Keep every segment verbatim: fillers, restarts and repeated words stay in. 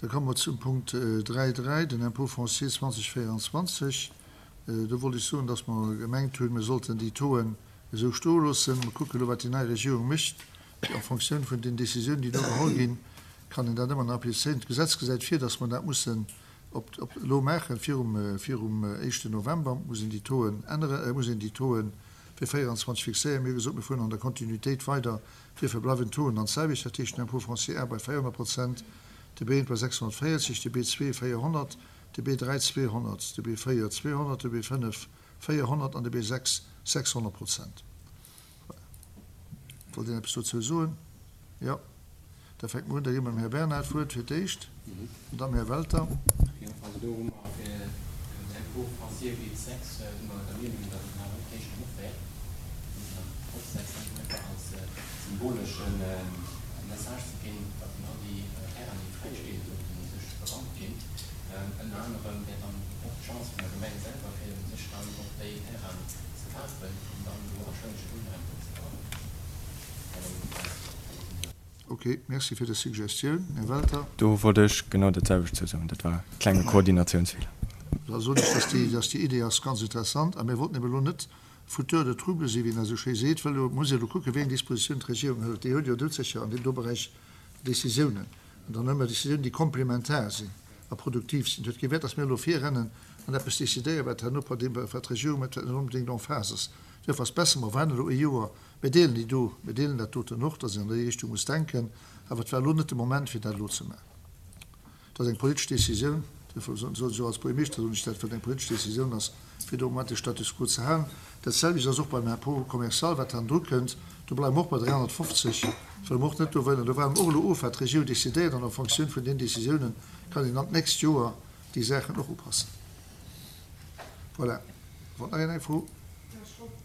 Da komme mer zum Punkt dräi dräi, den Impôt foncier zweitausendvéierundzwanzeg. Do wollt ech soen, dass mer gemengt hunn, mir sollten déi Tauxen esou stoe loossen. Mer kucken elo, wat déi nei Regierung mécht. En Fonctioun vun den Décisiounen, déi do geholl ginn, kann een dat ëmmer nach applizéieren. D'Gesetz gesäit vir, dass mer dat mussen op, op elo maachen, virum, virum éischten November muss een déi Tauxen änneren, muss een déi Tauxen fir véierundzwanzeg fixéieren. Mir hu gesot, mir fueren an der Kontinuitéit weider. Duerfir bleiwen d'Tauxen dann d'selwecht, dat heescht den Impôt foncier A bei véierhonnert Prozent, de B eent bei sechshonnertvéierzeg, de B zwee véierhonnert, de B dräi zweehonnert, de B véier zweehonnert, de B fënnef véierhonnert an de B sechs sechshonnert Prozent. Voilà. Wollt een eppes dozou soen? Jo. Da fänke mer un, da gi mer dem Här Bernard d'Wuert fir d'éischt an dann dem Här Welter. Jo, also do hu mer fir den Impôt foncier B sechs si mer der Meenung, datt et nach net héich genuch wär. Mir mussen dann eropsetzen, einfach als symbolesche Message ze ginn, datt all déi Terrainen, déi fräi stinn, sollten sech berannt ginn. Ënner anerem wär dann och d'Chance vun der Gemeng selwer, fir sech dann och déi Terrainen ze kafen an dann do warscheinlech e Wunnraum drop ze bauen. Ok, merci fir des Suggestioun, Här Welter. Do wollt ech genau dat selwecht zou soen. Dat war e klenge Koordinatiounsfeeler. Da soen ech, dass déi, dass déi Idee ass ganz interessant. A mir wollten eben elo net Fauteur de trouble sinn, wéi een esou schéi seet, well elo muss ee elo kucken, wéi eng Dispositioun d'Regierung hëlt. Déi huet jo doudsécher an deem do Beräich Décisiounen. An dann hu mer Décisiounen, déi komplementar sinn a produktiv sinn. Et huet kee Wäert, dass mir elo virrennen an eppes décidéieren, wat herno par deem, wat d'Regierung mécht, wat net onbedéngt en phase ass. Duerfir ass besser, mer waarden elo ee Joer. Mir deelen déi do, mir deelen dat doten och, dass een an déi Richtung muss denken, awer et war elo net de Moment, fir dat elo ze maachen. Et ass eng politesch Décisioun, duerfir soen ech och als Buergermeeschter, soen ech dat, well et eng politesch Décisioun ass, fir do am Moment de Status quo ze halen. Dat selwecht ass och beim Impôt commercial, wat hannendru kënnt. Do bleiwe mer och bei dräihonnertfofzeg, well mer och net do wëllen, do waarde mer och elo of, wat d'Regierung décidéiert, an en Fonctioun vun den Décisiounen kann een dann d'nächst Joer déi Saachen och upassen. Voilà. Wollt nach een eng Fro?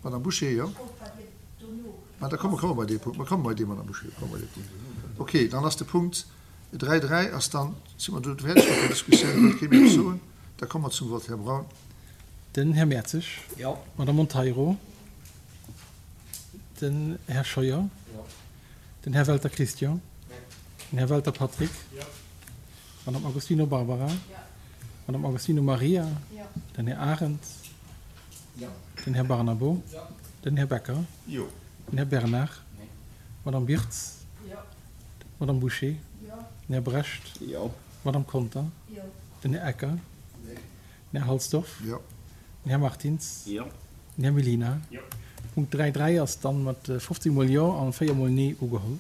Madame Bouché, jo. Ma da komme komme bei dee Punkt. Mer komme bei dee, Madame Bouché, komme bei dee Punkt. Okay, dann ass de Punkt dräi dräi ass dann, si mer do fäerdeg mat der Diskussioun, wëllt kee méi eppes soen? Da komme mer zum Vott. Här Braun. Den Här Mertzig. Jo. Madame Monteiro. Den Här Scheuer. Jo. Den Här Welter Christian. Den Här Welter Patrick. Jo. Madame Agostino Barbara. Jo. Madame Agostino Maria. Jo. Den Här Arendt. Jo. Den Här Barnabo. Jo. Den Här Becker. Jo. Den Här Bernard. Nee. Madame Birtz. Jo. Madame Bouché. Jo. Den Här Brecht. Jo. Madame Conter. Jo. Den Här Ecker. Nee. Den Här Halsdorf. Jo. Den Här Martins. Jo. Den Här Mellina. Jo. Punkt dräi dräi ass dann mat fofzéng mol Jo an véier mol Nee ugeholl.